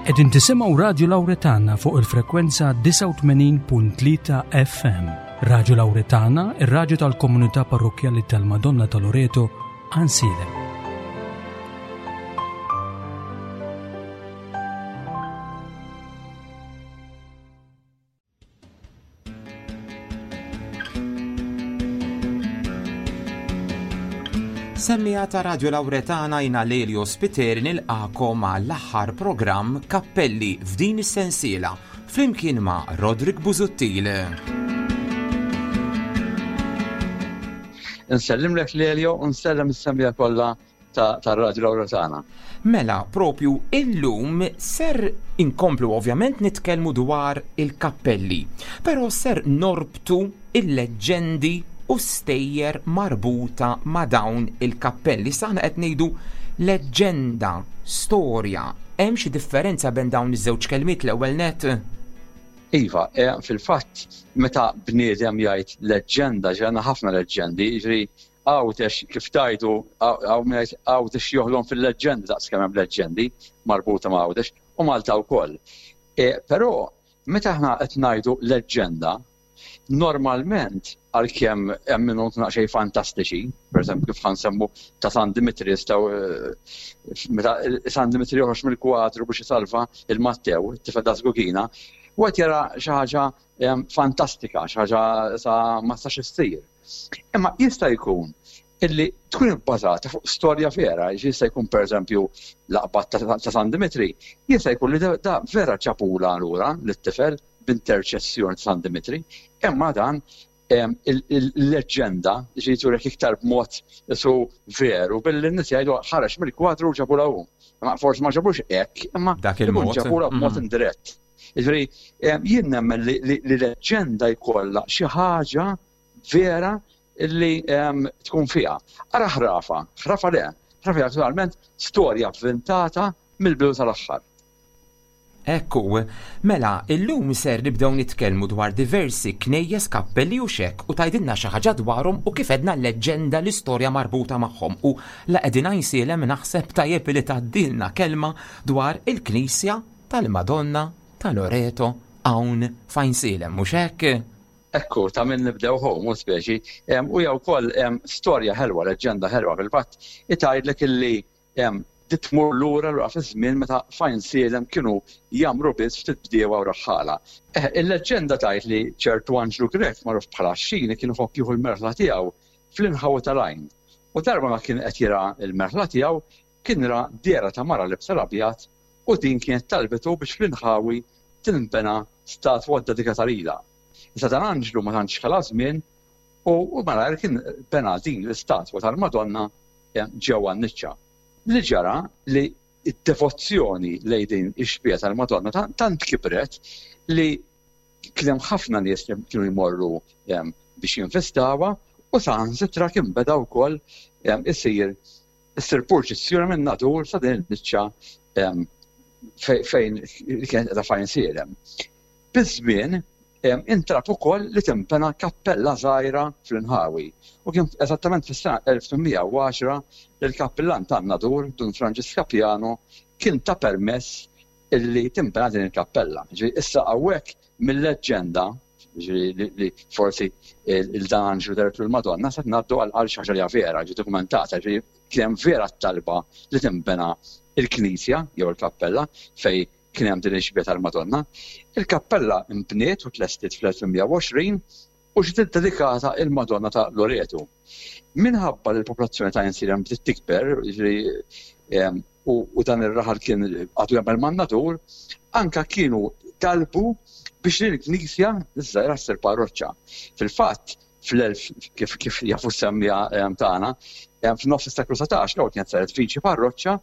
Qegħdin tisimgħu Radju Lawretana fuq il-frekwenza 89.3 FM. Radju Lawretana, ir-radju tal-komunità parrokkjali tal-Madonna ta' Loreto, Għansielem. Semmija ta' Radio Lauretana jina Lelio Spiteri nilqakom għall-aħħar programm Kappelli f'din is-sensiela flimkien ma' Roderick Busuttil. Nsellimlek Lelio u nsellem is-semmija kollha tar-Radju Lawretana. Mela, propju illum ser inkomplu ovvjament nitkellmu dwar il-kappelli, però ser norbtu il-leġġendi u stejjer marbuta ma' dawn il-kappelli. Issa aħna qed ngħidu leġġenda, storja. Hemm xi differenza bejn dawn iż-żewġ kelmiet l-ewwel net? Iva, eh, fil-fatt meta bniedem jgħid leġġenda, ġenna ħafna leġġendi, jiġri Għawdex, kif tgħidu, hawn min jgħid Għawdex joħlom fil-leġġendi daqs kemm hemm leġġendi marbuta ma' Għawdex u Malta wkoll. E, però meta aħna qed ngħidu leġġenda, normalment għalkemm hemm minnhom xejn fantastiċi, pereżempju kif ħansemmu ta' San Dimitri jistgħu eh, meta San Dimitri joħroġ mill-kwadru biex isalva il-Mattew, it-tifel ta' Żgugina, u qed jara xi ħaġa eh, fantastika, xi ħaġa sa ma stax issir. Imma jista' jkun illi tkun ibbażata fuq storja vera, jista' jkun pereżempju l-aqbad ta' San Dimitri, jista' jkun li da vera ġabula lura lit-tifel b'interċessjoni ta' San Dimitri, imma dan il-leġġenda ġi turek iktar b'mod su veru billi n-nies jgħidu ħareġ mill-kwadru u ġabula hu. Ma forsi ma ġabux hekk, imma dak il-mod ġabula b'mod mm. indirett. Jiġifieri jien nemmen li leġġenda jkollha xi ħaġa vera li tkun fiha. Ara ħrafa, ħrafa le, ħrafa hija naturalment storja vvintata mill-bidu tal-aħħar. Ekku, mela, illum ser nibdew nitkellmu dwar diversi knejjes, kappelli u xek u tgħidilna xi ħaġa dwarhom u kif għedna l-leġġenda l-istorja marbuta magħhom u la qegħdin Għajnsielem naħseb tajjeb li tgħaddilna kelma dwar il-knisja tal-Madonna ta' Loreto hawn f'Għajnsielem, mhux hekk? Ekku, ta' min nibdew hu, mhux speċi. U hija wkoll storja ħelwa, leġġenda ħelwa fil-fatt, itgħidlek illi di tmur lura lura fiż-żmien meta f'Għajnsielem kienu jgħammru biss ftit bdiewa u raħħala. Eh, il-leġġenda tgħid li ċertu Anġlu Grech magħruf bħala Xini kien iħobb jieħu l-merħla tiegħu fl-inħawi tal-għajn. U darba ma kien qed jirgħa l-merħla tiegħu, kien ra dehra ta' mara libsa l-abjad u din kienet talbitu biex fl-inħawi tinbena statwa ddedikata lilha. Iżda dan Anġlu ma tantx ħela żmien u malajr kien bena din l-istatwa tal-Madonna ġewwa n-niċċa. Li ġara li d-devozzjoni lejn din ix-xbieha tal-Madonna tant kibret li kien hemm ħafna nies li kienu jmorru biex jinvistawha u saħansitra kien beda wkoll isir issir purċissjoni minn Nadur sa din il-biċċa fejn li kienet qiegħda fejn sielem. Biż-żmien intalab ukoll li tinbena kappella żgħira fl-inħawi u kien eżattament fis-sena 1810 li l-kappillan tan-Nadur, Dun Franġisk Capiano, kien ta permess illi tinbena din il-kappella. Ġifieri issa hawnhekk mil-leġġenda, ġifieri li forsi il-dan Anġlu dehertlu l-Madonna, se ngħaddu għal xi ħaġa li hija vera, ġiet dokumentata, ġifieri kien hemm vera t-talba li tinbena l-knisja jew il-kappella fejn kien hemm din ix-xbieha tal-Madonna. Il-kappella nbniet u tlestiet fl-1820 u ġiet iddedikata il-Madonna ta' Loreto. Minħabba li l-popolazzjoni ta' Għajnsielem bdiet tikber, jiġifieri u dan ir-raħal kien għadu jagħmel man-natur, anka kienu talbu biex din il-knisja ż-żgħira ssir parroċċa. Fil-fatt, fl-1000 kif kif jafu s-semmija tagħna, f'nofs is-seklu 19 l-ewwel kienet saret viċi parroċċa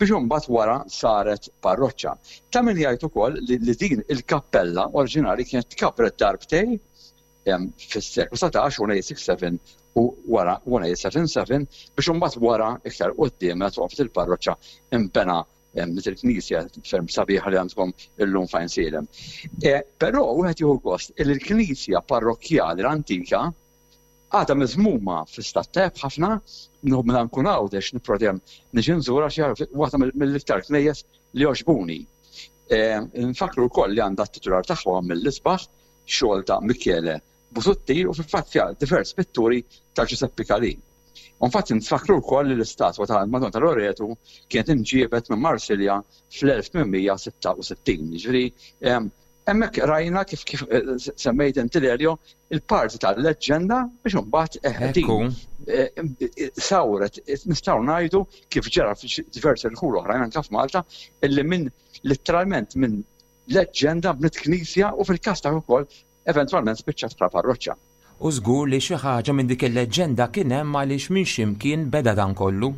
biex imbagħad wara saret parroċċa. Ta' min jgħid ukoll li din il-kappella oriġinali kienet tkabret darbtej fis-seklu 19, 1867 u wara 1877 biex imbagħad wara iktar quddiem meta twaqqfet il-parroċċa inbena dik il-knisja ferm sabiħa li għandkom illum fejn sielem. E, però wieħed jieħu gost li l-knisja parrokkjali l-antika għadha miżmuma fi stat tajjeb ħafna, meta nkun Għawdex nipprova dejjem niġi nżurha xi waħda mill-iktar knejjes li jogħġbuni. Nfakkru wkoll li għandha t-titular tagħha mill-isbaħ xogħol ta' Michele Busuttil u fil-fatt fiha diversi pitturi ta' Giuseppe Calì. U infatti nfakkru wkoll li l-istatwa tal-Madonna ta' Loretu kienet inġiebet minn Marsilja fl-1866. Jiġifieri hemmhekk rajna kif kif semmejt inti Lelio il-parti tal-leġġenda biex imbagħad din sawret nistgħu ngħidu kif ġara f'diversi rħul oħrajn anke f'Malta illi minn litteralment minn leġġenda bniet knisja u fil-każ ta' ukoll eventwalment spiċċat bħala parroċċa. U żgur li xi ħaġa minn dik il-leġġenda kien hemm għaliex minn xi mkien beda dan kollu.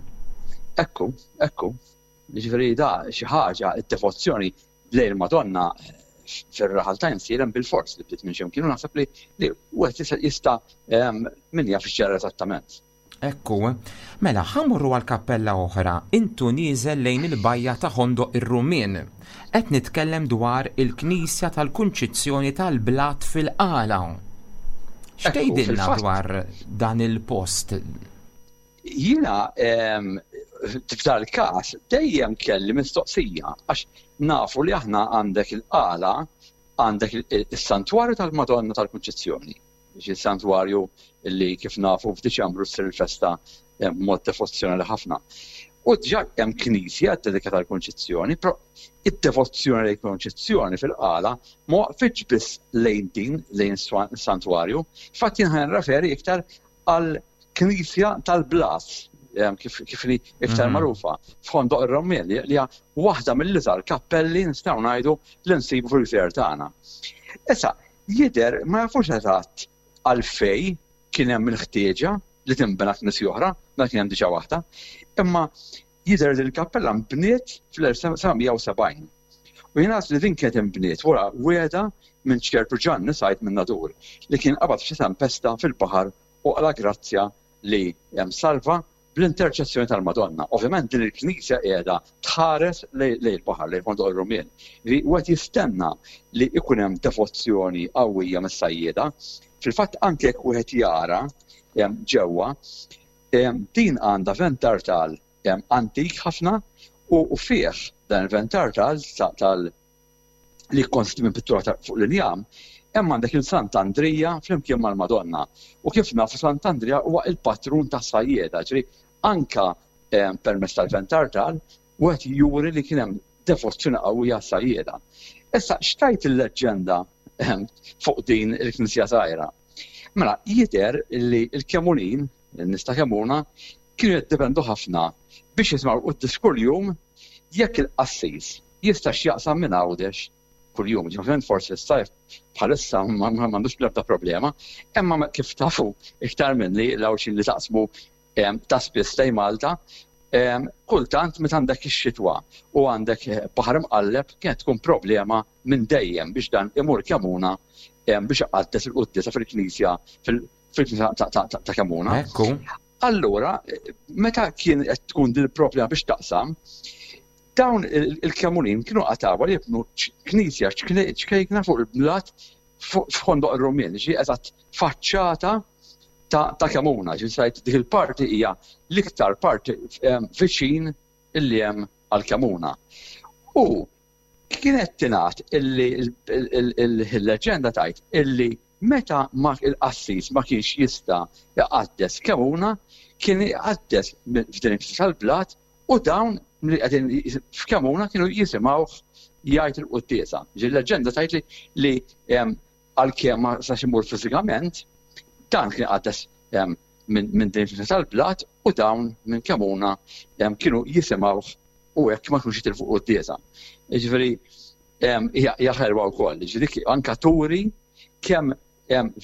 Ekku, ekku. Jiġifieri da xi ħaġa, id-devozzjoni lejn il-Madonna fir-raħal ta' Insielem bilfors li bdiet minn xi mkien u naħseb li li wieħed jista' min jaf x'ġara eżattament. Ekku. Mela, ħa mmorru għal kappella oħra, intu nieżel lejn il-bajja ta' Ħondoq ir-Rummien. Qed nitkellem dwar il-Knisja tal-Kunċizzjoni tal-Blat fil-Qala. X'tgħidilna dwar dan il-post? Jiena f'dal każ dejjem kelli mistoqsija għax nafu li aħna għandek il-Qala għandek is-Santwarju tal-Madonna tal-Kunċizzjoni. Xi santwarju li kif nafu f'Diċembru ssir il-festa b'mod devozzjonali ħafna. U diġà hemm knisja ddedikata għall-Kunċizzjoni, però id-devozzjoni lejn Kunċizzjoni fil-Qala ma waqfitx biss lejn din, lejn is-santwarju. Fatt jien ħa nirreferi iktar għal knisja tal-Blas, kif kif li iktar mhm. magħrufa, f'Ħondoq ir-Rommien li hija waħda mill-iżgħar kappelli nistgħu ngħidu li nsibu fil-gżejjer tagħna. Issa, Jidher ma jafux eżatt għalfejn kien hemm il-ħtieġa li tinbena knisja oħra, meta kien hemm diġà waħda, imma jidher li l-kappella nbniet fl-1770. U jingħad li din kienet inbniet wara wiegħda minn ċertu Ġanni Said min-Nadur li kien qabad f'xi tempesta fil-baħar u qala' grazzja li salva bl-interċessjoni tal-Madonna. Ovvjament din il-knisja qiegħda tħares lejn il-baħar, lejn Fondoq ir-Rumien. Li wieħed jistenna li jkun hemm devozzjoni qawwija mis-sajjieda. Fil-fatt anke jekk wieħed jara ġewwa, din għandha ventartal antik ħafna u fih dan il-ventartal tal li jikkonsisti minn pittura ta' fuq l-injam, hemm għandek il Sant'Andrija flimkien mal-Madonna. U kif nafu Sant'Andrija huwa il-patrun tas-sajjieda, ġifieri anka eh, permezz tal-ventartal wieħed juri li kien hemm devozzjoni qawwija għas-sajjieda. Issa xtajt il-leġġenda eh, fuq din il-knisja żgħira. Mela, jidher li l-Kemunin, in-nies ta' Kemuna, kienu jiddependu ħafna biex jisimgħu l-quddies kuljum jekk il-qassis jistax jaqsam minn Għawdex kuljum. Ġifieri forsi s-sajf bħalissa m'għandux l-ebda problema, imma kif tafu iktar minni l-Għawdxin li taqsmu ta' spiss lejn Malta, kultant meta għandek ix-xitwa u għandek eh, baħar imqalleb kienet tkun problema minn dejjem biex dan imur Kemuna biex iqaddes il-quddiesa fil-knisja fil-knisja ta' Kemuna. Ekku. Allura, meta kien qed tkun din il-problema biex taqsam, dawn il-Kemunin kienu qatawa li jibnu knisja ċkejkna fuq il-blat f'Ħondoq ir-Rumien, ġi eżatt faċċata ta' Kemuna, ġi sajt dik il-parti hija l-iktar parti viċin illi hemm għal Kemuna. U kienet tingħad illi il-leġenda tgħid illi meta ma il-qassis ma kienx jista' jqaddes Kemuna, kien iqaddes f'din il-knisja tal-blat u dawn li qegħdin f'Kemuna kienu jisimgħuh jgħid il-quddiesa. Ġi l-leġenda tgħid li għalkemm ma sax imur fiżikament, dan kien iqaddes minn din il-knisja tal-blat u dawn minn Kemuna kienu jisimgħuh u hekk ma kinux jitilfu quddiesa. Jiġifieri hija ħelwa wkoll, jiġifieri anka turi kemm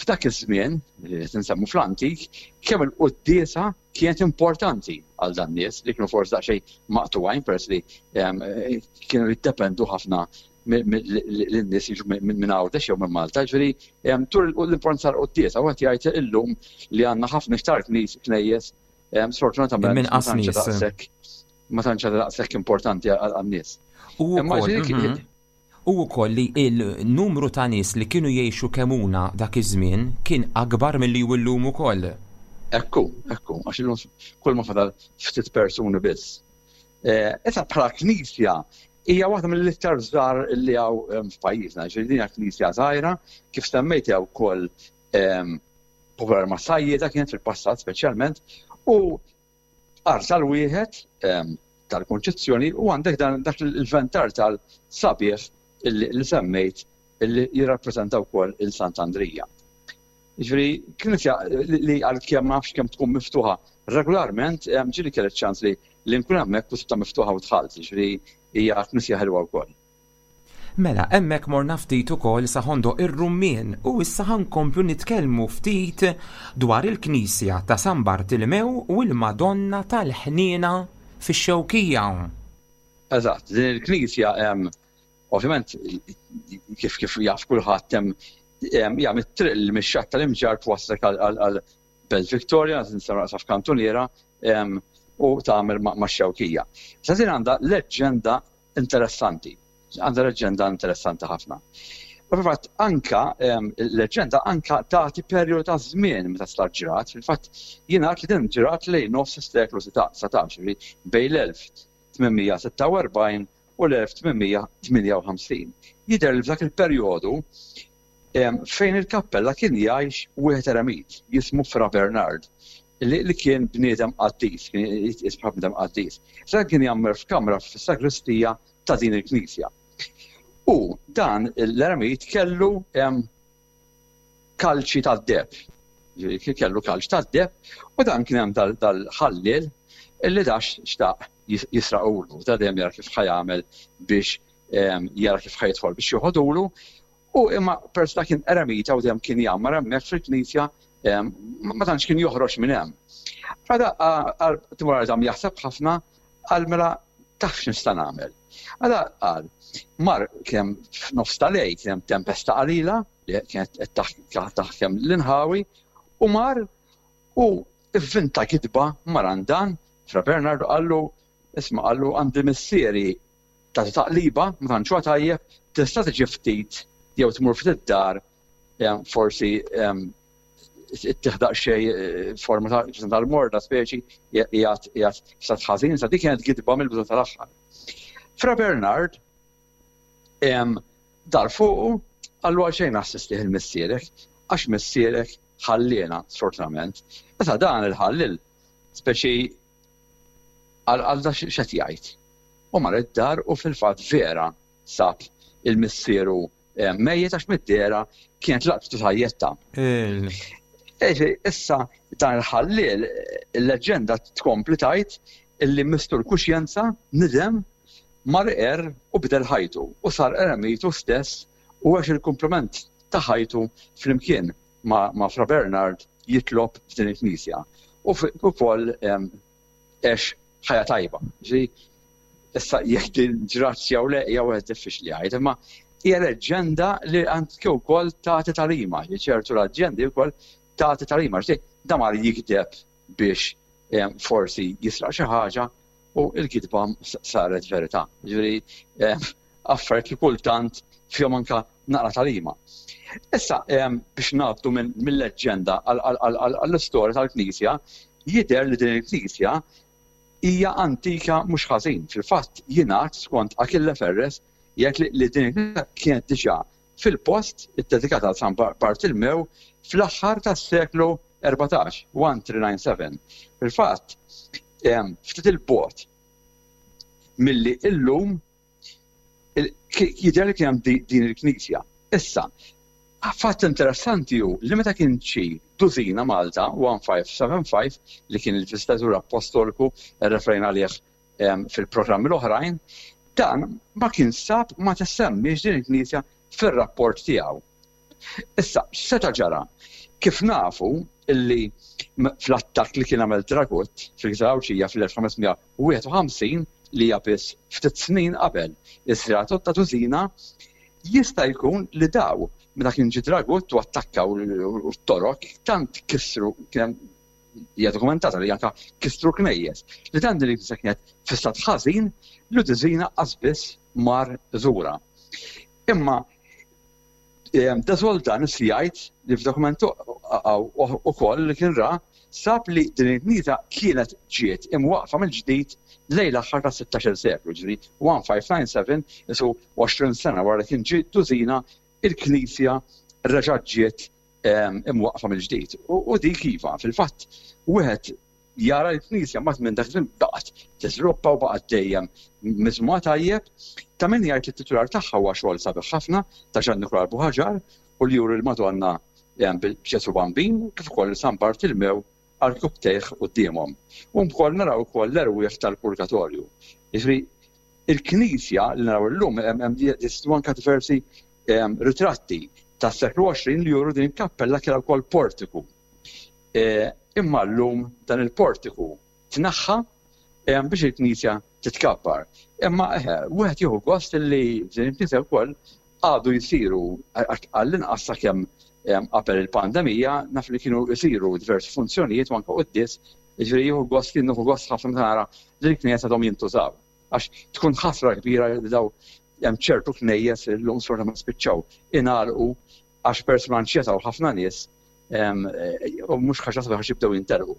f'dak iż-żmien, qed insemmu fl-antik, kemm il-quddiesa kienet importanti għal dan nies li kienu forsi daqsxejn maqtugħin peress li kienu jiddependu ħafna lin-nies jiġu minn Għawdex jew minn Malta, ġifieri tur l-importanza tal-quddiesa, wieħed jgħid illum li għandna ħafna iktar knejjes sfortunatament minn daqshekk ma tantx daqshekk importanti għan-nies. U mhm. U wkoll li il-numru ta' nies li kienu jgħixu Kemuna dak iż-żmien kien akbar milli hu llum ukoll. Ekku, ekku, għax illum kull ma fadal ftit persuni biss. Eh, issa bħala knisja. Hija waħda mill-iktar żgħar li hawn f'pajjiżna, ġifieri din hija knisja żgħira, kif semmejt hija wkoll popolari ma' sajjieda kienet fil-passat speċjalment, u arsal wieħed tal-Kunċizzjoni u għandek dan dak il-ventar tal-sabiħ li semmejt li jirrappreżenta wkoll il-Sant'Andrija. Jiġifieri knisja li għalkemm ma nafx kemm tkun miftuħa regolarment, ġieli kelli ċ-ċans li li nkun hemmhekk u sibtha miftuħa u dħalt, jiġifieri hija knisja ħelwa wkoll. Mela, hemmhekk morna ftit ukoll sa Ħondoq ir-Rummien u issa ħa nkomplu nitkellmu ftit dwar il-knisja ta' San Bartilmew u l-Madonna tal-Ħniena fix-Xewkija. Eżatt, din il-knisja ovvjament kif kif jaf kulħadd hemm hija mit-triq li mix-xatt tal-Imġarr twasslek għal Belt Victoria, nistgħu naqsa f'kantuniera u tagħmel max-Xewkija. Issa din għandha leġġenda interessanti. Għandha leġġenda interessanti ħafna. U fil-fatt anka leġġenda anka tagħti perjodu ta' żmien meta sar ġrat, fil-fatt jingħad li din ġrat lejn nofs is-seklu 19, bejn l-1846 u l-1858. Jidher li f'dak il-perjodu fejn il-kappella kien jgħix wieħed eremit jismu Fra Bernard li kien bniedem qaddis, kien jitqies bħala bniedem qaddis. Sa kien jgħammar f'kamra fis-sagristija ta' din il-knisja. U dan l-eremit kellu kalċi tad-deheb. Ġifieri kellu kalċ tad-deheb u dan kien hemm dal-ħalliel illi dax xtaq jisraqulu. Da dejjem jara kif ħa jagħmel biex jara kif ħa jidħol biex joħodulu. U imma peress da kien eremita u dejjem kien jgħammar hemmhekk fil-knisja ma tantx kien joħroġ minn hemm. Għada timur dam jaħseb ħafna qal mela taf x'nista' nagħmel. Għada qal mar kien hemm f'nofs ta' lejl kien hemm tempesta qalila li kienet qed taħkem l-inħawi u mar u vvinta kitba mar għand dan Fra Bernard u qallu isma' qallu għandi missieri tagħti taqliba ma tantx huwa tajjeb tista' tiġi ftit jew tmur ftit id-dar forsi ittih daqsxejn forma ta' tal-morda speċi qiegħed qiegħed f'stat ħażin, sa dik kienet gidba mill-bidu tal-aħħar. Fra Bernard Dar fuqu, qallu għalxejn assistih il-missierek, għax missierek ħalliena, sfortunament. Meta dan il-ħalliel, speċi qal għal da x'qed jgħid. U mar id-dar u fil-fatt vera sab il-missieru mejjet għax mid-dehra kienet laqtitu sajjetta. Issa dan il-ħalliel, il-leġġenda tkompli tgħid illi mistur kuxjenza nidem Mar iqerr u bidel ħajtu u sar eremitu stess u għex il-kumpliment ta' ħajtu flimkien ma' Fra Bernard jitlob f'din il-knisja u wkoll għex ħajja tajba. Ġifieri issa jekk din ġratx jew le hija wieħed diffiċli jgħid, imma hija leġġenda li anke wkoll tagħti tagħlima, ċertu leġġendi wkoll tagħti tagħlima. Ġifieri da mar jigdeb biex forsi jisraq xi ħaġa u l-kitba saret verità. Ġifieri eh, affarijiet li kultant fihom anka naqra talima. Issa eh, biex ngħaddu mill-leġġenda għall-istorja tal-Knisja, jidher li din il-Knisja hija antika mhux ħażin. Fil-fatt jingħad skont Achille Ferres jgħid li din il-knisja kienet diġà fil-post iddedikat għal San Bartilmew fl-aħħar tas-seklu 14, 1397. Fil-fatt, ftit il-bogħod milli illum jidher li kien hemm din il-knisja. Issa, fatt interessanti hu li meta kien ġie Duzina Malta 1575 li kien il-viżitatur appostoliku rreferejna għalih fil-programmi l-oħrajn, dan ma kien sab ma tissemmiex din il-knisja fir-rapport tiegħu. Issa, x'seta' ġara? Kif nafu illi fl-attakk li kien għamel Dragut fil-Gżira Għawdxija fl-1551 li hija biss ftit snin qabel iż-żjara ta' Duzina, jista' jkun li daw meta kien ġie Dragut u attakkaw u t-Torok tant kissru kien hemm hija dokumentata li anke kissru knejjes li dan din il-knisja kienet fi stat ħażin li Duzina qas biss mar iżurha. Imma De Soltanis jgħid li f'dokument ukoll li kien ra sab li din il-knisja kienet ġiet imwaqqfa mill-ġdid lejn l-aħħar tas-sittax-il seklu, jiġifieri 1597, qisu 20 sena wara li kien ġie Dusina, il-knisja reġgħet ġiet imwaqqfa mill-ġdid. U dik iva, fil-fatt, wieħed jara l-knisja mbagħad minn dak iż-żmien baqgħet tiżviluppa u baqgħet dejjem miżmuma tajjeb. Ta' min jgħid li t-titular tagħha huwa xogħol sabiħ ħafna ta' Ġan Nikola Buħaġar u li juri l-Madonna b'Ġesù Bambin kif ukoll San Bartilmew għal rkubbtejh quddiemhom. U wkoll naraw ukoll l-erwieħ tal-purgatorju. Jiġifieri il-knisja li naraw illum hemm jeżistu anke diversi ritratti tas-seklu 20 li juru din il-kappella kellha wkoll portiku. Imma llum dan il-portiku tneħħa biex il-knisja titkabbar. Imma eħe, wieħed jieħu gost li f'din il-knisja wkoll għadu jsiru għall-inqas sakemm qabel il-pandemija naf li kienu jsiru diversi funzjonijiet u anke quddies, jiġifieri jieħu gost jien nieħu gost ħafna meta nara li l-knejjes għadhom jintużaw. Għax tkun ħasra kbira li daw hemm ċertu knejjes li llum sfortunatament spiċċaw ingħalqu għax peress ma nċetaw ħafna nies u mhux ħaġa sabiħa għax jibdew jintelqu.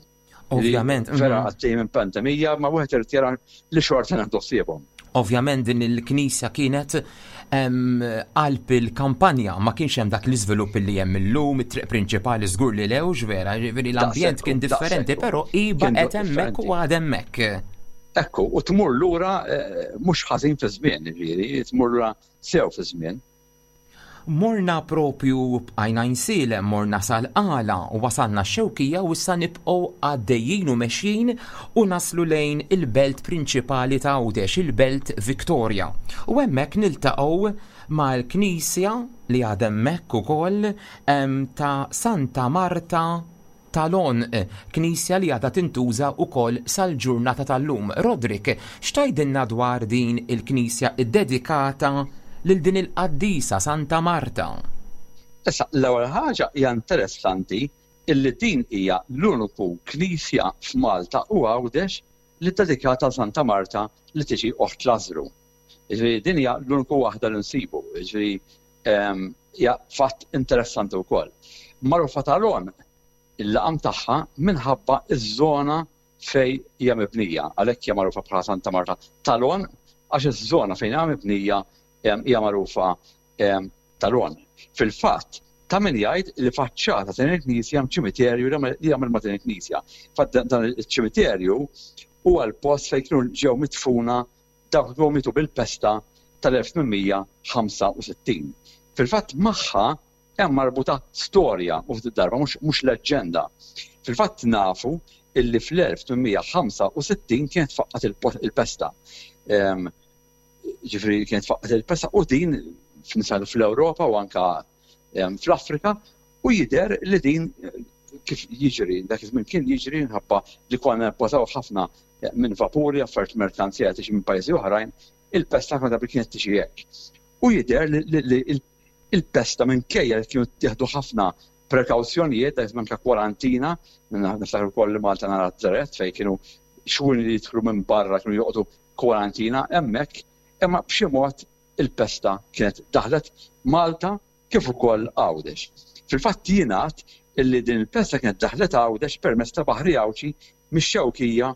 Ovvjament. Vera għaddej minn pandemija, ma wieħed irid jara li xorta naħdu ħsiebhom. Ovvjament din il-knisja kienet qalb il-kampanja, ma kienx hemm dak l-iżvilupp li hemm illum, it-triq prinċipali żgur li lewx vera, ġifieri l-ambjent kien differenti, però hi baqgħet hemmhekk u għad hemmhekk. Ekku, u tmur lura eh, mhux ħażin fi żmien, ġifieri, tmur lura sew fi żmien. Morna propju bqajna Għajnsielem, morna sal-Qala u wasalna x-Xewkija u issa nibqgħu għaddejjin u mexjin u naslu lejn il-belt prinċipali ta' Għawdex, il-Belt Victoria. U hemmhekk niltaqgħu mal-knisja li għadha hemmhekk ukoll ta' Santa Marta tal-Għonq, knisja li għadha tintuża wkoll sal-ġurnata tal-lum. Roderick, x'tgħidilna dwar din il-knisja ddedikata lil din il-qaddisa Santa Marta? Issa, l-ewwel ħaġa hija interessanti illi din hija l-uniku knisja f'Malta u Għawdex li ddedikata għal Santa Marta li tiġi oħt Lażżru. Jiġifieri din hija l-uniku waħda li nsibu. Jiġifieri hija fatt interessanti wkoll. Magħrufa tal-għonq il-laqam tagħha minħabba ż-żona fejn hija mibnija, għalhekk hija magħrufa bħala Santa Marta tal-Għonq għax iż-żona fejn hija mibnija hija magħrufa tal-Għonq. Fil-fatt, ta' min jgħid li faċċata ta' din il-knisja hemm ċimiterju li jagħmel ma' din il-knisja. Fatt dan iċ-ċimiterju huwa l-post fejn kienu ġew midfuna Dawk li mietu bil-pesta tal-1865. Fil-fatt magħha hemm marbuta storja u ftit darba mhux leġġenda. Fil-fatt nafu illi fl-1865 kienet faqqgħet il-pesta. Ġifieri kienet faqqgħet il-pesta u din fl-Ewropa u anka fl-Afrika U jidher li din kif jiġri, dak iż-żmien kien jiġri minħabba li konna nippożaw ħafna minn vapuri, affarijiet merkanzija tiġi minn pajjiżi oħrajn, il-pesta ħafna drabi kienet tiġi hekk. U jidher li il-pesta minkejja li kienu ttieħdu ħafna prekawzjonijiet, dak iż-żmien anke kwarantina, niftakar ukoll li Malta nara Żeret fejn kienu xwien li jidħlu minn barra kienu joqogħdu kwarantina hemmhekk, imma b'xi mod il-pesta kienet daħlet Malta kif ukoll Għawdex. Fil-fatt jingħad illi din il-pesta kienet daħlet Għawdex permezz ta' baħri Għawdxi mix-Xewkija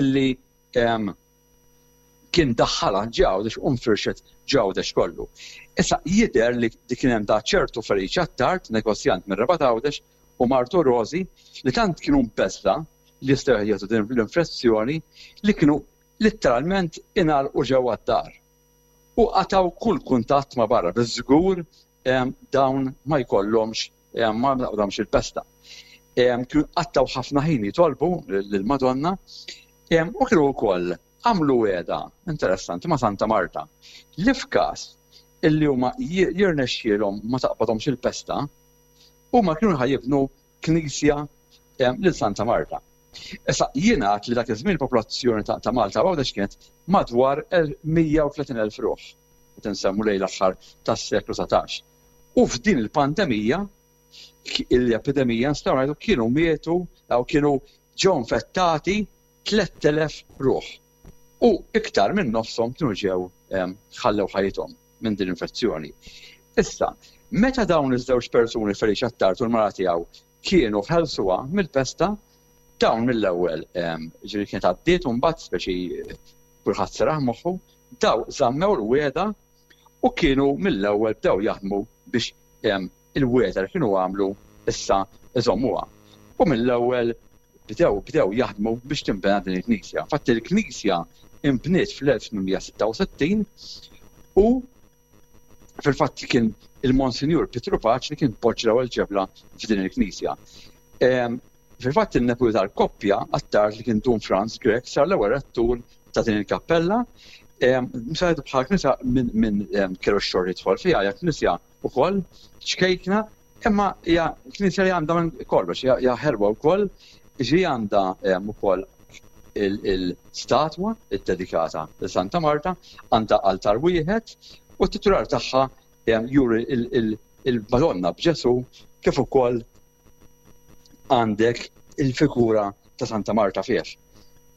illi kien daħħalha ġo Għawdex u nfirxet ġo Għawdex kollu. Issa jidher li kien hemm ta' ċertu Feliċi Attard, negozjant mir-Rabat Għawdex, u martu Rosi li tant kienu mbeżża' li jistgħu jieħdu din l-infezzjoni li kienu litteralment ingħalqu ġewwa d-dar. u qatgħu kull kuntatt ma' barra biex żgur dawn ma jkollhomx ma taqbadhomx il-pesta. Kienu qattgħu ħafna ħin jitolbu lill-Madonna u kienu wkoll għamlu wegħda interessanti ma' Santa Marta li f'każ illi huma jirnexxielhom ma taqbadhomx il-pesta, huma kienu ħa jibnu knisja lil Santa Marta. Issa, jingħad li dak iż-żmien il-popolazzjoni ta' Malta u Għawdex kienet madwar 130,000 ruħ, qed insemmu lejn l-aħħar tas-seklu 19. U f'din il-pandemija, l-epidemija nistgħu ngħidu kienu mietu jew kienu ġew infettati 3,000 ruħ. U iktar minn nofshom kienu ġew ħallew ħajjithom minn din l-infezzjoni. Issa, meta dawn iż-żewġ persuni Feliċ Attard u l-mara tiegħu kienu ħelsuha mill-pesta. Dawn mill-ewwel, ġifieri kienet għaddiet u mbagħad speċi kulħadd seraħ moħħu, daw żammew il-wegħda u kienu mill-ewwel bdew jaħdmu biex il-wegħda li kienu għamlu issa iżommuha. U mill-ewwel bdew bdew jaħdmu biex tinbena din il-knisja. Infatti il-knisja inbniet fl-1866 u Fil-fatt kien il-Monsinjur Pietru Paċ li kien poġġa l-ewwel ġebla f'din il-knisja. Ehm, fil-fatt in-neputi tal-koppja attard li kien Dun Franz Grech sar l-ewwel rettur ta' din il-kappella. Ehm, Msajdu bħal knisja minn ehm, kellu x-xorri jidħol fiha, hija knisja ukoll ċkejkna, imma hija knisja li għandha minn kollox, hija ħelwa wkoll, ġi għandha ukoll il-statwa ddedikata lil Santa Marta, għandha altar wieħed u t-titular tagħha juri il-Madonna b'Ġesu kif ukoll għandek il-figura ta' Santa Marta fih.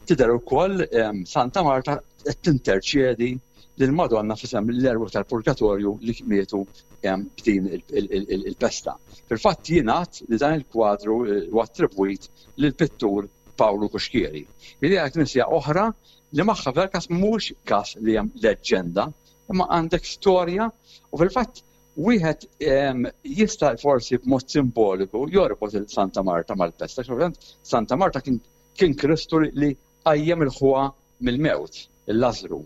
Tidher ukoll Santa Marta qed tinterċedi lil Madonna f'isem l-erwieħ tal-purgatorju li mietu b'din il-pesta. Fil-fatt jingħad li dan il-kwadru huwa attribwit lill-pittur Pawlu Cuschieri. Li hija knisja oħra li magħha f'dal każ mhux każ li hemm leġġenda, imma għandek storja u fil-fatt wieħed jista' forsi b'mod simboliku jorbot il-Santa Marta mal-pesta, għax Santa Marta kien kien Kristu li qajjem il-ħuha mill-mewt, il-Lażru.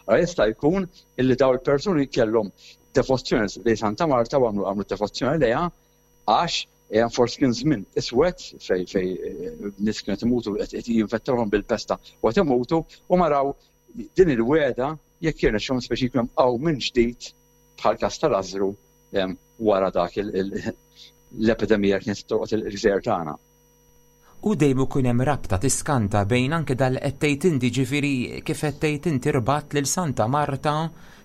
Allora jista' jkun illi daw il-persuni kellhom devozzjoni lejn Santa Marta u għamlu għamlu devozzjoni lejha għax eh, forsi kien żmien iswed fej fej eh, nies kienu imutu qed jinfettawhom bil-pesta u qed imutu u maraw din il-weda jekk jirnexxhom speċi jkun hemm minn ġdid bħal każ ta' Lażru eh, wara dak l-epidemija kienet tolqot il-gżejjer tagħna. U dejjem ikun hemm rabta tiskanta bejn anke dan li qed tgħid inti, ġifieri kif qed tgħid inti rbatt lil Santa Marta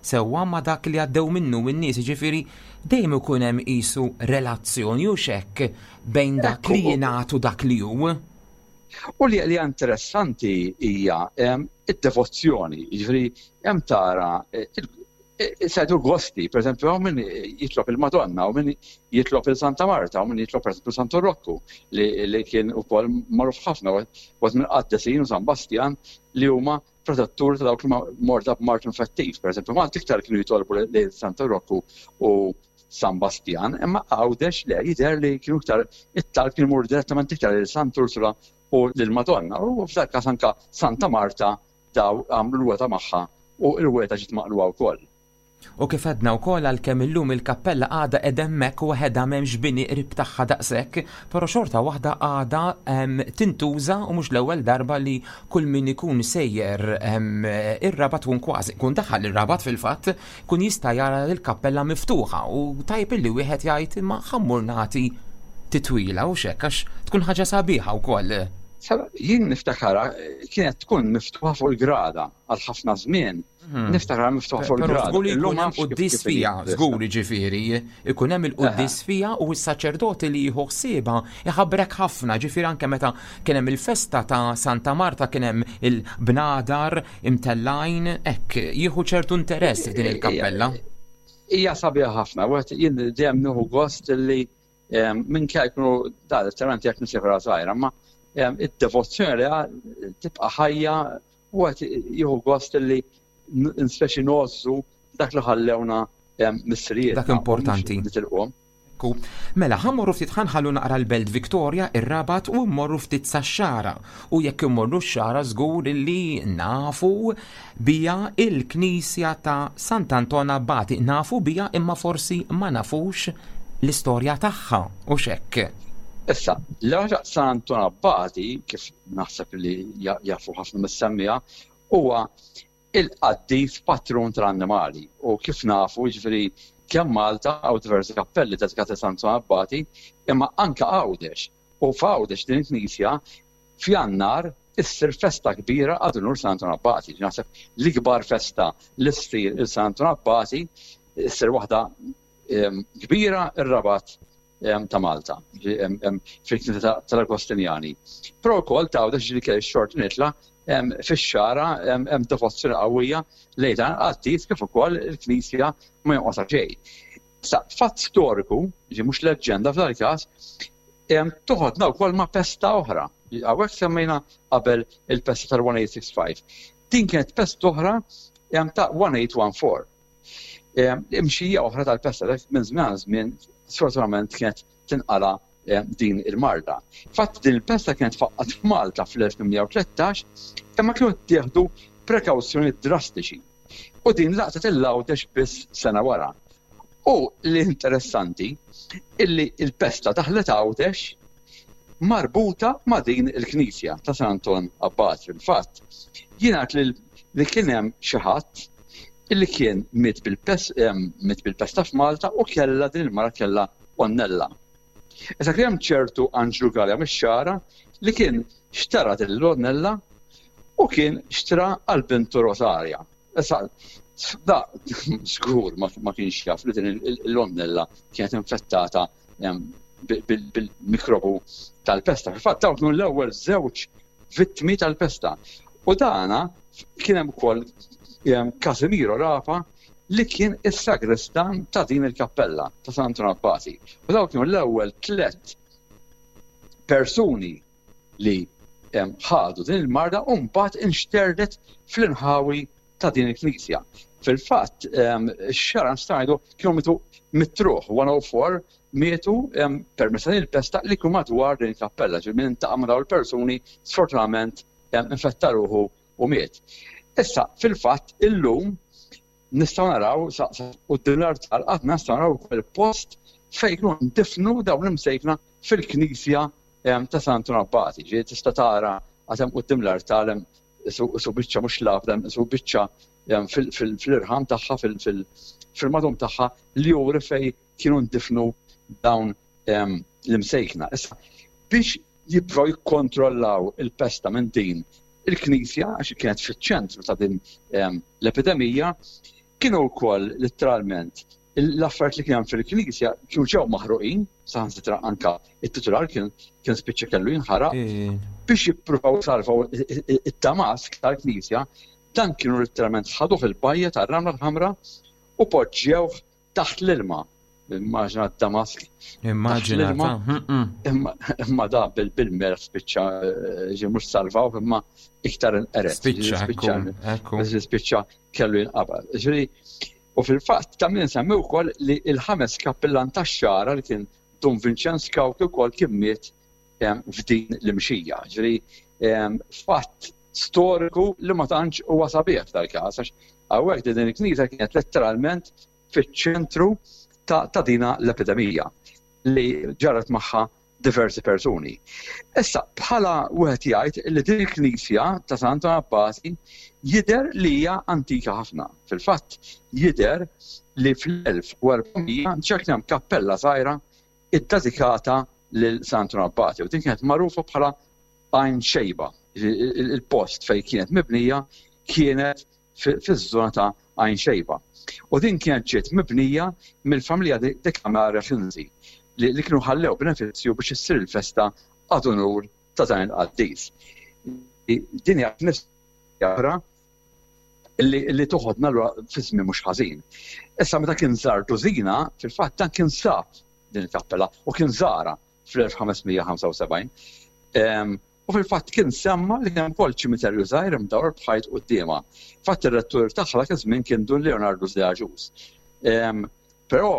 sewwa ma' dak li għaddew minnu n-nies, jiġifieri dejjem ikun hemm qisu relazzjoni hux hekk bejn dak li jingħad u dak li hu. U li hija interessanti hija id-devozzjoni, jiġifieri hemm tara Sajdu gosti, per esempio, hawn min jitlob il-Madonna, u min jitlob il-Santa Marta, u min jitlob per esempio Santo Rocco, li kien ukoll magħruf ħafna, wieħed minn qaddesin u San Bastian li huma protettur ta' dawk li morda b'mard infettiv. Per esempio, Malta iktar kienu jitolbu lil Santo Rocco u San Bastian, imma Għawdex le jidher li kienu iktar it-talb kien imur direttament iktar lil Sant Ursula u lil Madonna. U f'dak każ anka Santa Marta daw għamlu l-wegħda magħha u l-wegħda ġiet maqlugħa wkoll. U kif għedna wkoll għalkemm illum il-kappella għadha qiegħda hemmhekk waħedha m'hemmx bini qrib tagħha daqshekk, però xorta waħda għadha tintuża u mhux l-ewwel darba li kull min ikun sejjer ir-Rabat tkun kważi, ikun daħal ir-Rabat fil-fatt, ikun jista' jara l-kappella miftuħa u tajjeb illi wieħed jgħid imma ħa mmur nagħti titwila hux hekk għax tkun ħaġa sabiħa wkoll. Jien niftakarha kienet tkun miftuħa fuq il-grada għal ħafna żmien. Mhm. Niftakarha miftuħa fuq il-grada. Żgur li jkun hemm quddies fiha, żgur jiġifieri, ikun hemm il-quddies fiha u s-saċerdoti li jieħu ħsiebha iħabbrek ħafna, ġifieri anke meta kien hemm il-festa ta' Santa Marta kien hemm il-bnadar imtellgħin, hekk jieħu ċertu interess f'din il-kappella. Hija sabiħa ħafna, wieħed jien dejjem nieħu gost li minkejja jkunu da letteralment jekk nisifra żgħira, ma id-devozzjoni li tibqa' ħajja u qed jieħu gost li speċi ngħożżu dak li ħallewna missirijiet. Dak importanti. Nitilquhom. Ekku. Mela, ħa mmorru ftit ħa nħallu naqra l-Belt Victoria, ir-Rabat u mmorru ftit sax-Xagħra. U jekk immorru x-Xagħra żgur li nafu bija il-knisja ta' Sant'Anton Abbati. Nafu bija imma forsi ma nafux l-istorja tagħha, hux hekk? Issa, l-ewwel San Anton Abbati, kif naħseb li jafu ħafna mis-semmiegħa, huwa il-qaddis patrun tal-annimali. U kif nafu, jiġifieri kemm Malta hawn diversi kappelli dedikati lil San Anton Abbati, imma anke Għawdex. U f'Għawdex din il-knisja f'Jannar issir festa kbira ad unur San Anton Abbati. Naħseb l-ikbar festa li ssir il San Anton Abbati issir waħda ehm, kbira ir-Rabat ehm, ta' Malta, ehm, fil-Knisja tal-Agostinjani. Però wkoll ta' Għawdex ġieli kelli xort nitla' fix-xara hemm devozzjoni qawwija lejn dan il-qaddis kif ukoll il-Knisja ma jonqosha xejn. Issa, fatt storiku, ġi mhux leġġenda f'dan il-każ, toħodna wkoll ma' pesta oħra. Hawnhekk semmejna qabel il-pesta tal-1865. Din kienet pesta oħra ta' 1814. Imxija oħra tal-pesta minn żmien għal żmien sfortunatament kienet tinqala din il-marda. Fatt din il-pesta kienet faqqat f'Malta fl-1813 imma kienu ttieħdu prekawzjoni drastiċi. U din laqtet il-Għawdex biss sena wara. U li interessanti illi il-pesta daħlet Għawdex marbuta ma' din il-knisja ta' San Anton Abbat fil-fatt. Jingħad li kien hemm xi ħadd illi kien miet bil-pesta f'Malta u kellha din il-mara kellha għonnella. Issa kien hemm ċertu Anġlu Galea mix-Xagħra li kien xtara din l-għonnella u kien xtra għal bintu Rosaria. Issa da żgur ma kienx jaf li din l-għonnella kienet infettata bil-mikrobu tal-pesta. Fil-fatt dawn kienu l-ewwel żewġ vittmi tal-pesta. U dana kien hemm ukoll Casimiro Rapa li kien is-sagristan ta' din il-kappella ta' San Anton Abbati. U dawn kienu l-ewwel tlett persuni li ħadu din il-marda u mbagħad inxterdet fl-inħawi ta' din il-knisja. Fil-fatt, ix-xara nistgħu kienu mitu mitruħ 104 mietu permezz ta' din il-pesta li kienu madwar din il-kappella, ġifieri min intaqa' ma' dawn il-persuni sfortunatament infetta ruħu u miet. Issa, fil-fatt, illum nistgħu naraw sa quddiem l-artal qatt nistgħu naraw ukoll il-post fejn kienu ndifnu dawn l-imsejkna fil-knisja ta' San Anton Abbati. Ġifieri tista' tara għad hemm quddiem l-artal hemm isu biċċa mhux labda, isu biċċa fil-irħam tagħha fil-madum tagħha li juri fejn kienu ndifnu dawn l-imsejkna. Issa, biex jipprovaw jikkontrollaw il-pesta minn din il-knisja, għax kienet fiċ-ċentru ta' din l-epidemija, kienu wkoll letteralment l-affarijiet li kien hemm fil-knisja kienu ġew maħruqin, saħansitra anka it-titular kien kien spiċċa kellu jinħaraq biex jippruvaw salvaw it-tamask tal-knisja, dan kienu letteralment ħaduh il-bajja tar-Ramla l-Ħamra u poġġewh taħt l-ilma. Immaġina d-Damask. Immaġina. Imma da bil-melħ spiċċa eh, ġi mhux salvaw imma iktar inqeret. Spiċċa, spiċċa kellu jinqabad. Ġifieri, u fil-fatt ta' min nsemmi wkoll li l-ħames kappillan tax-xara li kien Dun Vincenz Cauchi wkoll kien miet f'din l-imxija. Ġifieri fatt storiku li ma tantx huwa sabiħ f'dal-każ għax hawnhekk din il-knisja kienet letteralment fiċ-ċentru ta', ta dina l-epidemija li ġarret magħha diversi persuni. Issa, bħala wieħed jgħid li din il-knisja ta' San Anton Abbati jidher li hija antika ħafna. Fil-fatt, jidher li fl-1400 ġa kien hemm kappella żgħira iddedikata lil San Anton Abbati u din kienet magħrufa bħala Għajn Xejba. Il-post fejn kienet mibnija kienet fiż-żona ta' Għajn Xejba. U din kienet ġiet mibnija mill-familja De Camara Finzi li kienu ħallew benefizzju biex issir il-festa ad unur ta' dan il-qaddis. Din hija knisja oħra li toħodna lura fi żmien mhux ħażin. Issa meta kien żar Dużina, fil-fatt dan kien sab din il-kappella u kien żarha fl-1575. U fil-fatt kien semma li kien hemm ukoll ċimiterju żgħir imdawwar b'ħajt quddiemha. Fatt ir-rettur tagħha dak iż-żmien kien Dun Leonardo de Agius. Però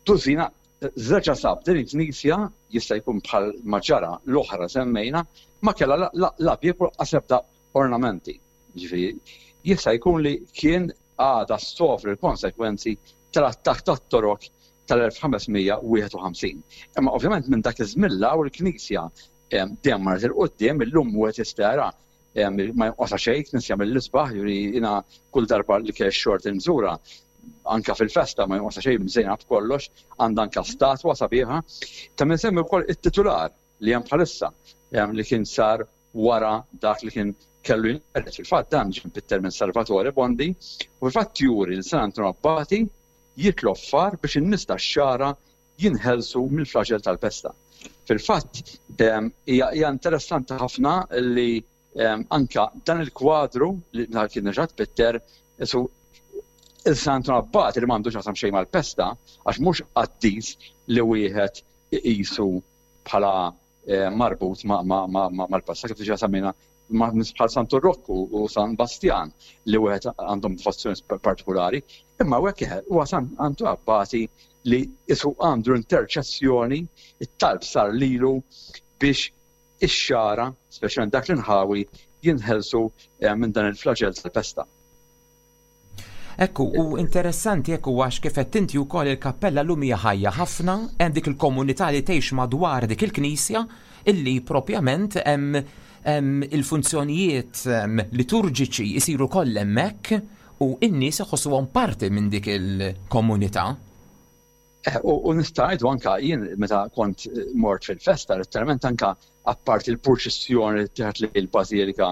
Dużina reġa' sab din il-knisja jista' jkun bħal ma ġara l-oħra semmejna ma kellha la bieb u lanqas ebda ornamenti. Ġifieri, jista' jkun li kien għadha ssofri l-konsekwenzi tal-attakk tat-Torok tal-1551. Imma ovvjament minn dak iż-żmien 'l hawn il-Knisja dejjem marret 'il quddiem, illum wieħed jista' jara ma jonqosha xejn, knisja mill-isbaħ, jiġifieri jiena kull darba li kelli x-xorti nżurha, anke fil-festa ma jonqosha xejn mżejna b'kollox, għandha anke statwa sabiħa. Ta' min isemmi wkoll it-titular li hemm bħalissa li kien sar wara dak li kien kellu jinqered. Fil-fatt dan ġie mpitter minn Salvatore Bondi u fil-fatt juri lil San Anton Abbati jitlob far biex in-nies tax-Xagħra jinħelsu mill-flaġell tal-pesta. Fil-fatt hija interessanti ħafna li anka dan il-kwadru li kien reġa' tpitter isu il-San Anton Abbati li m'għandux x'jaqsam xejn mal-pesta għax mhux qaddis li wieħed iqisu bħala. marbut mal-passa kif diġà semmejna bħal Santu Rokku u San Bastjan li wieħed għandhom devozzjoni partikolari, imma hekk huwa San Antu Abbati li isu għandu interċessjoni, it-talb sar lilu biex ix-xagħra, speċjalment dak l-inħawi, jinħelsu eh, minn dan il-flaġell tal-pesta. Ekku, u interessanti ekku għax kif qed inti wkoll il-kappella llum hija ħajja ħafna, hemm dik il-komunità li tgħix madwar dik il-knisja illi propjament hemm il-funzjonijiet liturġiċi jsiru koll hemmhekk u n-nies iħossuhom parti minn dik il-komunità. Eh, u nista' ngħidu anka jien meta kont eh, mort fil-festa, letteralment anka apparti il-purċissjoni li tieħed li l-bażilika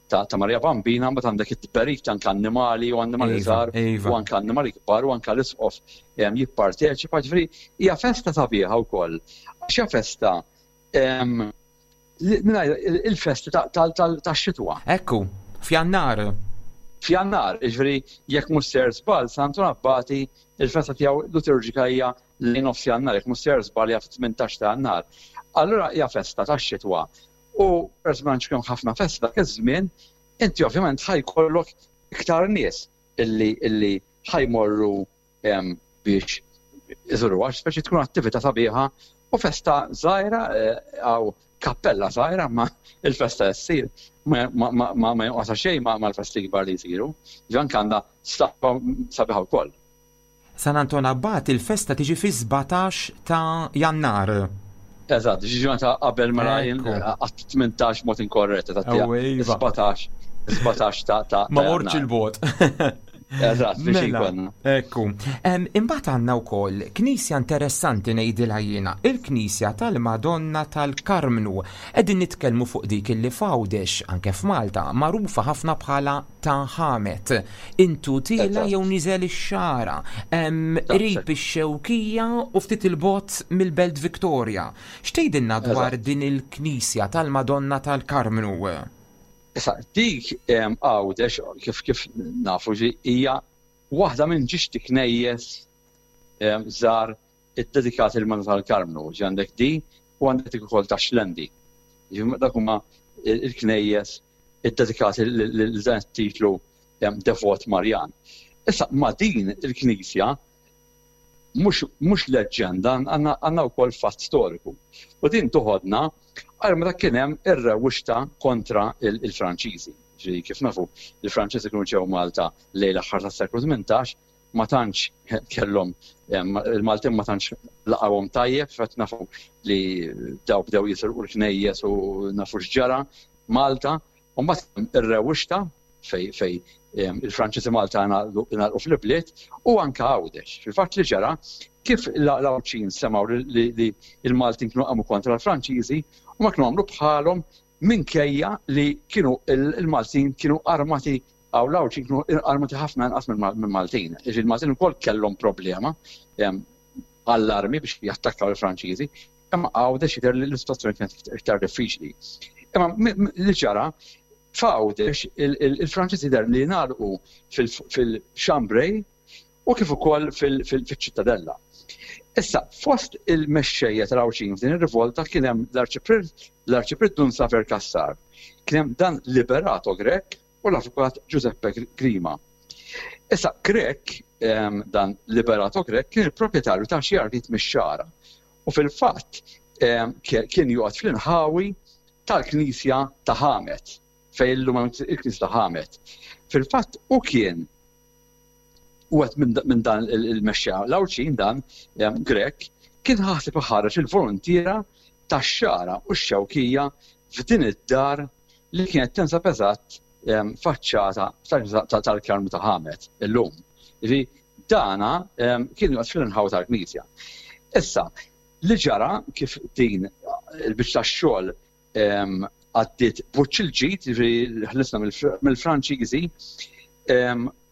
ta' Maria Bambina, mbagħad għandek it-tberik anke annimali u annimali iva, żgħar iva. u anke annimali kbar u anke l-isqof jipparteċipa, ġifieri hija festa sabiħa wkoll. Għax hija festa il-festi tax-xitwa. Ekku, f'Jannar. F'Jannar, jiġifieri jekk mhux ser żball, San Anton Abbati il-festa tiegħu liturġika hija lejn nofs Jannar, jekk mhux ser żball hija fit-18 ta' Jannar. Allura hija festa tax-xitwa. U peress ma tantx kien ħafna festi dak iż-żmien, inti ovvjament ħa jkollok iktar nies illi illi ħa jmorru biex iżuruha, speċi tkun attività sabiħa u festa żgħira għaw kappella żgħira ma il-festa ssir ma ma jonqosha xejn mal-festi kbar li jsiru. Ġan għandha sabiħa wkoll. San Anton Abbat il-festa tiġi fi-17 ta' Jannar. Eżatt, xi ġurnata qabel mela jien għat 18 mod inkorrett, eżatt. 17, 17 ta' ta' Ma mortx il-bot. Eżatt, biex mela, jkollna. Ekku. Imbagħad għandna wkoll knisja interessanti ngħidilha jiena, il-Knisja tal-Madonna tal-Karmnu. Qegħdin nitkellmu fuq dik illi f'Għawdex, anke f'Malta, magħrufa ħafna bħala ta' Ħamet. Intu tiela jew niżel ix-xagħra, qrib ix-Xewkija u ftit 'il bogħod mill-Belt Victoria. X'tgħidilna dwar din il-knisja tal-Madonna tal-Karmnu? Issa, dik Għawdex, kif kif nafu, hija waħda minn ġiex knejjes żgħar iddedikati lill-Madonna tal-Karmnu. Ġi għandek di u għandek dik ukoll ta' Xlendi. Dak huma l-knejjes iddedikati lil dan it-titlu devot Marjan. Issa ma' din il-knisja mhux leġġenda għandna wkoll fatt storiku. U din toħodna għal meta kien hemm ir-rewwixta kontra il-Franċiżi. Ġifieri kif nafu, il-Franċiżi kienu ġew Malta lejn l-aħħar tas-seklu 18 ma tantx kellhom il-Maltin ma tantx laqgħuhom tajjeb, fatt nafu li daw bdew jisirqu l-knejjes u nafu x'ġara Malta, u mbagħad ir-rewwixta fej fej il-Franċiżi Malta ngħalqu fl-ibliet u anke Għawdex. Fil-fatt li ġara kif l-Għawdxin semgħu li l-Maltin kienu qamu kontra l-Franċiżi u ma kienu għamlu bħalhom minkejja li kienu il-Maltin kienu armati Hawn l-Għawdxin kienu armati ħafna inqas mill-Maltin. Jiġifieri il-Maltin ukoll kellhom problema għall-armi biex jattakkaw il-Franċiżi, imma Għawdex jidher li l-istituzzjoni kienet iktar diffiċli. Imma li ġara f'Għawdex il-Franċiżi jidher li ngħalqu fil-Chambray u kif ukoll fil-Ċittadella. Issa, fost il-mexxejja tal-Għawdxin f'din ir-rivolta kien hemm l-Arċipriet Dun Saver Cassar, kien hemm dan Liberato Grech u l-Avukat Giuseppe Grima. Issa, Grech, ehm, dan Liberato Grech, kien il-proprjetarju ta' xi artijiet mix-xagħra u fil-fatt ehm, kien joqgħod fl-inħawi tal-Knisja ta' Ħamet, fejn illum il-Knisja ta' Ħamet. Fil-fatt u kien Wieħed minn dan il-mexxejja l-Għawdxin dan Grech kien ħaseb iħarreġ il-voluntiera tax-Xagħra u x-Xewkija f'din id-dar li kienet tinsab eżatt faċċata tal-Karmnu ta' Ħamet illum. Jiġifieri dana kien joqgħod fl-inħawi tal-knisja. Issa, li ġara kif din il-biċċa tax-xogħol għaddiet b'wiċċ il-ġid, jiġifieri ħlisna mill-Franċiżi,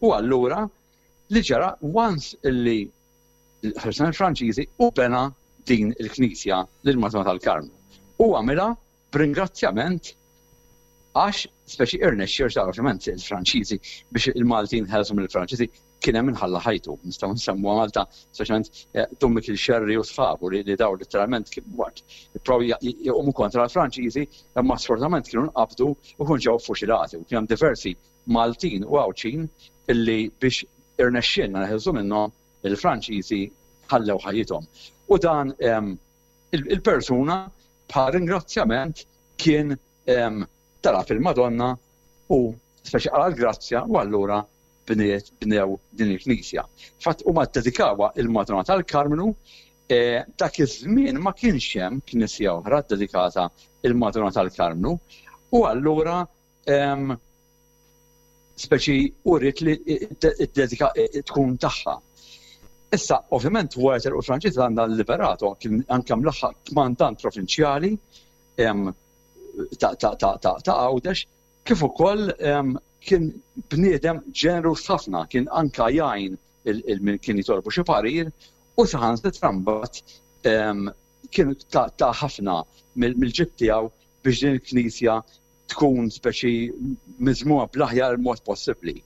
u allura li ġara once illi ħlisna mill-Franċiżi u bena din il-knisja lil Madonna tal-Karmnu. U għamilha b'ringrazzjament Għax speċi irnexxi għax ovvjament il-Franċiżi biex il-Maltin ħelsu mill-Franċiżi kien hemm inħalla ħajtu. Nistgħu nsemmu Malta speċjalment eh, Dun Mikil Xerri u sħabu li daw letteralment waqt ipprovaw jqumu kontra l-Franċiżi imma sfortunatament kienu nqabdu u kienu ġew fuċilati u kien hemm diversi Maltin u Għawdxin illi biex irnexxielna neħilsu minnhom il-Franċiżi ħallew ħajjithom. U dan il-persuna bħal ringrazzjament kien talab il-Madonna u speċi qala l-grazzja u allura bniet bnew din il-knisja. Fatt huma ddedikawha il-Madonna tal-Karmnu e, dak iż-żmien ma kienx hemm knisja oħra ddedikata il-Madonna tal-Karmnu u allura speċi uriet li id-dedika tkun tagħha. Issa, ovvjament, wara telqu l-Franċiż għandha l-Liberato kien anke mlaħħaq kmandant provinċjali ta' Għawdex, kif ukoll kien bniedem ġeneruż ħafna, kien anka jgħin il-min kien jitolbu xi parir u saħansitra mbagħad kien ta' ħafna mill-ġid tiegħu biex din il-knisja tkun speċi miżmuma bl-aħjar mod possibbli.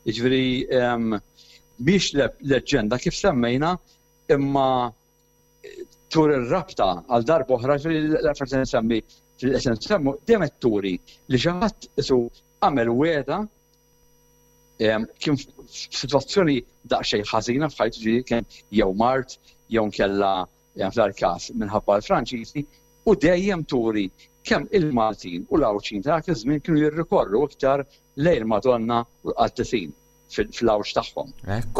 Jiġifieri mhix leġġenda kif semmejna imma tur ir-rabta għal darba oħra l-affarijiet li nsemmi qed nsemmu dejjem qed turi li xi ħadd isu għamel wegħda kien f'sitwazzjoni daqsxejn ħażina f'ħajtu ġifieri kien jew mard jew nkella f'dal-każ minħabba l-Franċiżi u dejjem turi kemm il-Maltin u l-Għawdxin ta' dak iż-żmien kienu jirrikorru iktar lejn il-Madonna u l-qaddisin fl-għawġ tagħhom.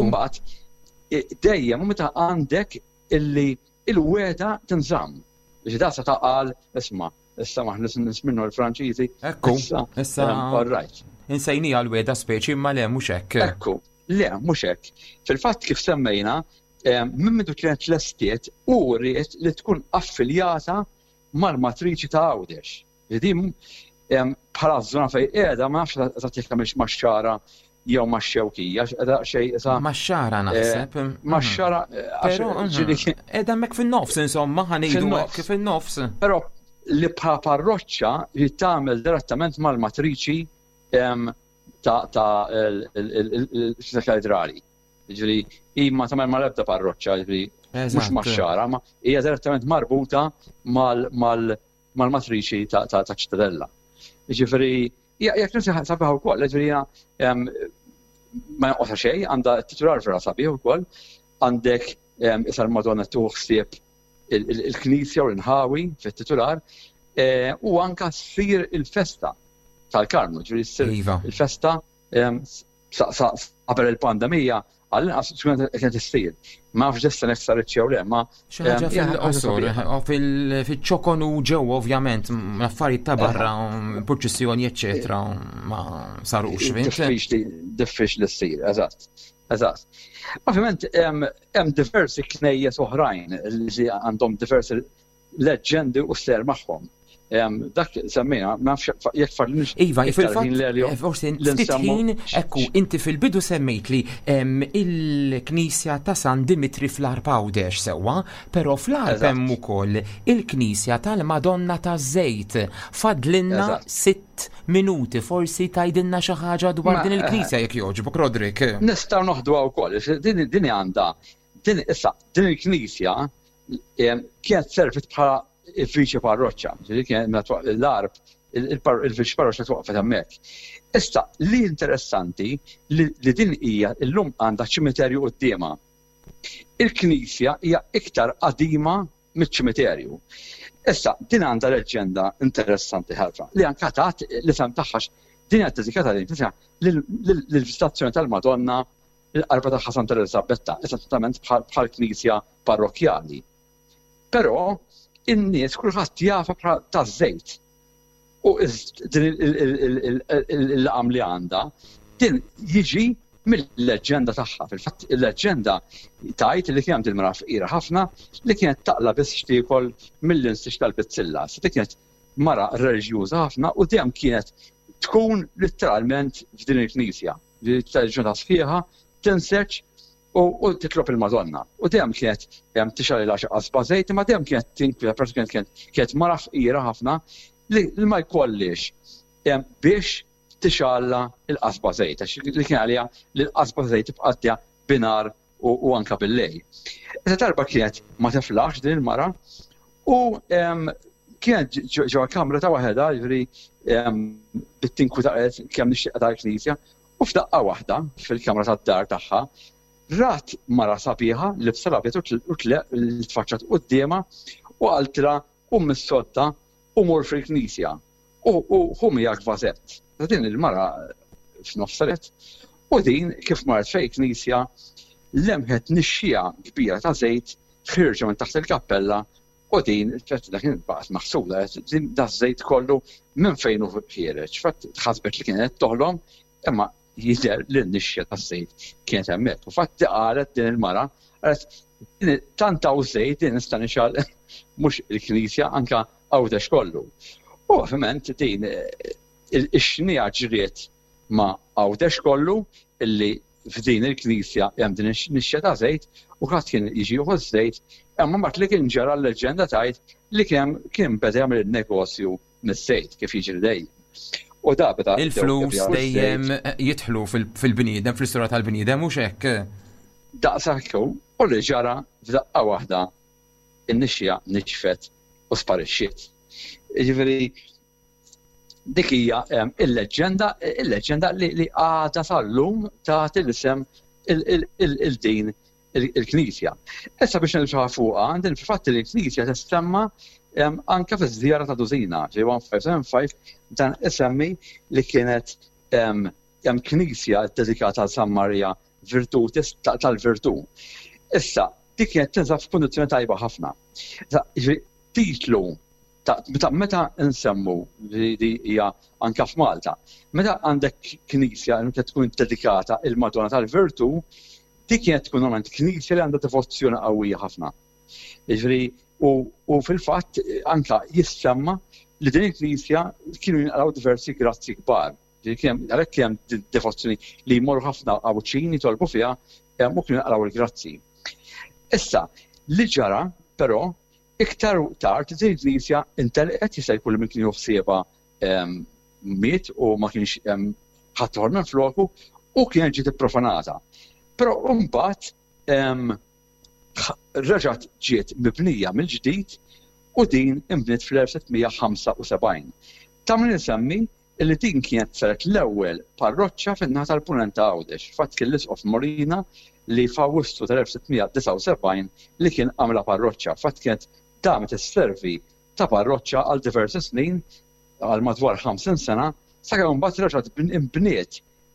Imbagħad dejjem u meta għandek illi il-wegħda tinżamm. Biex da seta' qal isma' issa maħna nies minnu l-Franċiżi. Ekku, issa. All right. Insejnija l-wegħda speċi imma le mhux hekk. Ekku, le mhux hekk. Fil-fatt kif semmejna, minn mindu kienet lestiet u ried li tkun affiljata mal-matriċi ta' Għawdex. Li din bħala żona fejn qiegħda ma nafx eżatt jekk tagħmilx max-Xagħra jew max-Xewkija, qiegħda xejn isa. Max-Xagħra eh, naħseb. Max-Xagħra eh, għax mhm. qiegħda hemmhekk fin-nofs insomma ħa ngħidu hekk fin-nofs. Però li bħala parroċċa li tagħmel direttament mal-matriċi ta' l-katedrali. Ġifieri hi ma tagħmel mal-ebda parroċċa, ġifieri mhux max-Xagħra, ma hija direttament marbuta mal mal-matriċi ta' ċittadella. Ġifieri, hija knisja sabiħa wkoll, ġifieri ma jonqosha xejn, għandha titular vera sabiħ ukoll, għandek issa l-Madonna tieħu ħsieb il-knisja u l-inħawi fit-titular, e, u anka ssir il-festa tal-Karmnu, ġifieri ssir iva. il-festa Qabel il-pandemija, għall-inqas kienet issir. Ma nafx issa jekk saritx jew le, ma. Xi ħaġa fil-qosor, fil-ċokon u ġew ovvjament, affarijiet ta' barra, purċissjoni, eċċetera, ma sarux. Diffiċli ssir, eżatt. Eżatt. Ovvjament, hemm diversi knejjes oħrajn li għandhom diversi leġġendi u ser magħhom. Dak semmejna, ma nafx jekk fadlix. Iva, fil-fatt, eh, forsi ftit ħin, ekku, inti fil-bidu semmejt li il-Knisja ta' San Dimitri fl-Għarb Għawdex sewwa, però fl-Għarb hemm ukoll il-Knisja tal-Madonna taż-Żejt. Fadlinna sitt minuti, forsi tgħidilna xi ħaġa dwar din il-Knisja jekk jogħġbok, Roderick. Nistgħu noħduha wkoll, din għandha din issa din il-Knisja kienet servit bħala il-viċi parroċċa, ġifieri kienet l-arb il-viċi parroċċa twaqfet hemmhekk. Issa li interessanti li din hija llum għandha ċimiterju quddiemha. Il-knisja hija iktar qadima miċ-ċimiterju. Issa din għandha leġġenda interessanti ħafna li anka tat l-isem tagħha din hija dedikata lil knisja lill-Viżitazzjoni tal-Madonna il-qarba tagħha Santa Eliżabetta, eżattament bħal knisja parrokkjali. Però in-nies kulħadd jafha bħala taż-żejt. U din il-laqam li għandha, din jiġi mill-leġġenda tagħha. Fil-fatt il-leġġenda tgħid li kien hemm din mara fqira ħafna li kienet taqla biss x'tiekol mill-insiġ tal-bizzilla. Dik kienet mara reliġjuża ħafna u dejjem kienet tkun litteralment f'din il-knisja. Li tal-ġurnata sħiħa tinseġ u titlob il-Madonna. U dejjem kienet tixgħalilha xi qasba żejt, imma dejjem kienet tinkwieta peress kienet kienet mara fqira ħafna li ma jkollix. biex tixgħalla l-qasba żejt, għax li kien għaliha li l-qasba żejt tibqa' għaddejja binhar u anka bil-lejl. Issa darba kienet ma tiflaħx din il-mara u kienet ġewwa kamra ta' waħedha, jiġifieri bit-tinkwita qalet kemm nixtieq tal-knisja, u f'daqqa waħda fil-kamra tad-dar tagħha rat mara sabiħa libsa l-abjad u li tfaċċat quddiemha u qaltilha qum mis-sodda u mur fil-knisja u ħu miegħek vażett. Din il-mara f'nofs saret u din kif marret fejn knisja lemħet nixxiegħa kbira ta' żejt ħierġa minn taħt il-kappella u din dak kien baqgħet maħsuda din da żejt kollu minn fejn hu ħiereġ. Fatt ħasbet li kienet toħlom imma jidher li n-nixxa taż-żejt kienet hemmhekk. U fatti qalet din il-mara, qalet tant hawn żejt din nista' nixgħal mhux il-knisja anke Għawdex kollu. U ovvjament din ix-xniegħa ġriet ma' Għawdex kollu illi f'din il-knisja hemm din ix-nixxa ta' żejt u ħadd kien jiġi jieħu ż-żejt, imma mbagħad li kien ġara l-leġġenda tgħid li kien kien beda jagħmel in-negozju mis-sejt kif jiġri dejjem. U da beda Il-flus dejjem jidħlu fil-bniedem, fl-istorja tal-bniedem, mhux hekk? Daqshekk hu, u li ġara f'daqqa waħda in-nixja nixfet u sparixxiet. Jiġifieri dik hija il-leġġenda, il-leġġenda li għadha sal-lum tagħti l-isem il-din il-Knisja. Issa biex ngħidu xi ħaġa fuqha, din fil-fatt il-Knisja tissemma anke fiż-żjara ta' Dusina, ġej 1575 dan isemmi li kienet hemm knisja ddedikata għal San Marija Virtutis tal-Virtù. Issa, dik kienet tinsab f'kundizzjoni tajba ħafna. Titlu ta' meta nsemmu li hija anke f'Malta, meta għandek knisja li tkun dedikata il-Madonna tal-Virtù, dik kienet tkun normalment knisja li għandha devozzjoni qawwija ħafna. Jiġifieri u, u fil-fatt anka jissemma li din il-knisja kienu jinqalgħu diversi grazzi kbar. Għalhekk kien hemm devozzjoni li jmorru ħafna Għawdxin jitolbu fiha u kienu jinqalgħu l-grazzi. Issa, li ġara però iktar tard din il-knisja intelqet jista' jkun li min kien ħsiebha miet u ma kienx ħadd ieħor minn floku u kienet ġiet ipprofanata. Però mbagħad reġgħet ġiet mibnija mill-ġdid u din inbniet fl-1675. Ta' min insemmi li din kienet saret l-ewwel parroċċa fin-naħa tal-Punent ta' Għawdex. Fatt kien l-Isqof Molina li f'Awwissu tal-1679 li kien għamilha parroċċa. Fatt kienet damet isservi ta' parroċċa għal diversi snin, għal madwar 50 sena, sakemm imbagħad reġgħet inbniet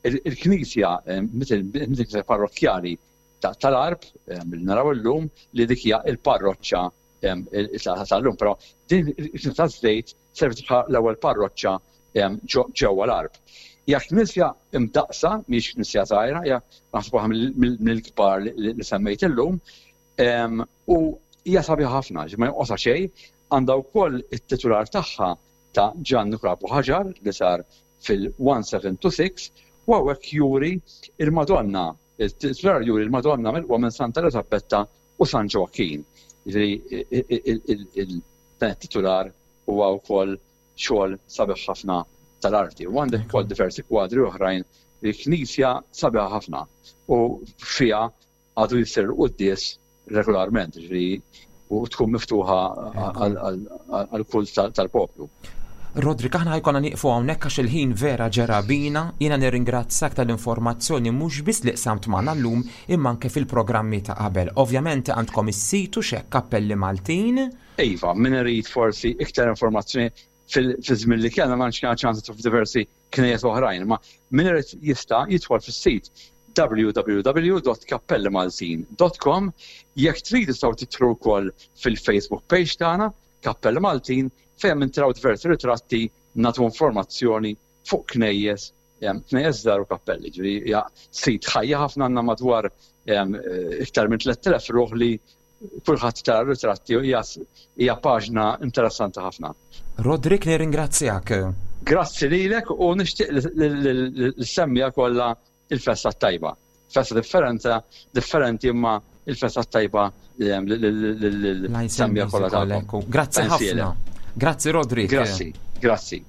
il-knisja, il-knisja parrokkjali tal-Għarb li naraw illum li dik hija l-parroċċa tal-lum, però din il-knisja taż-żejt serviet bħala l-ewwel parroċċa ġewwa l-Għarb. Hija knisja imdaqqsa, mhijiex knisja żgħira, hija naħseb waħda mill-kbar li semmejt illum, U hija sabiħa ħafna, ma jonqosha xejn, għandha wkoll it-titular tagħha ta' Ġanni Krapu Ħaġar li sar fil-1726 u hawnhekk juri il-Madonna, it-titular juri l-Madonna milqugħa minn Santa Eliżabetta u San Ġoakkin. Jiġifieri dan it-titular huwa wkoll xogħol sabiħ ħafna tal-arti. U għandek ukoll diversi kwadri oħrajn li knisja sabiħa ħafna u fiha għadu jsir il-quddies regolarment, ġifieri u tkun miftuħa għall-kult tal-poplu. Roderick, aħna ħajkonna nieqfu hawnhekk għax il-ħin vera ġera bina. Jiena nirringrazzak tal-informazzjoni mhux biss li qsamt magħna llum imma anke fil-programmi ta' qabel. Ovvjament għandkom is-sit u x'hekk Kappelli Maltin. Iva, min irid forsi iktar informazzjoni fil-żmien li kellna ma tantx kellna ċans nidħlu f'diversi knejjes oħrajn, imma min irid jista' jidħol fis-sit www.kappellimaltin.com jekk trid tistgħu tidħlu wkoll fil-Facebook page tagħna Kappelli Maltin fejn hemm intraw diversi ritratti nagħtu informazzjoni fuq knejjes knejjes żgħar u kappelli. Ġifieri hija sit ħajja ħafna għandna madwar iktar minn 3000 ruħ li kulħadd tara ritratti u hija paġna interessanti ħafna. Roderick nirringrazzjak. Grazzi lilek u nixtieq lis-semmiegħa kollha il-festa t-tajba. Festa differenza, differenti imma il-festa t-tajba lill-semmiegħa kollha tagħkom. Grazzi ħafna. Grazzi Roderick. Grazzi, grazzi.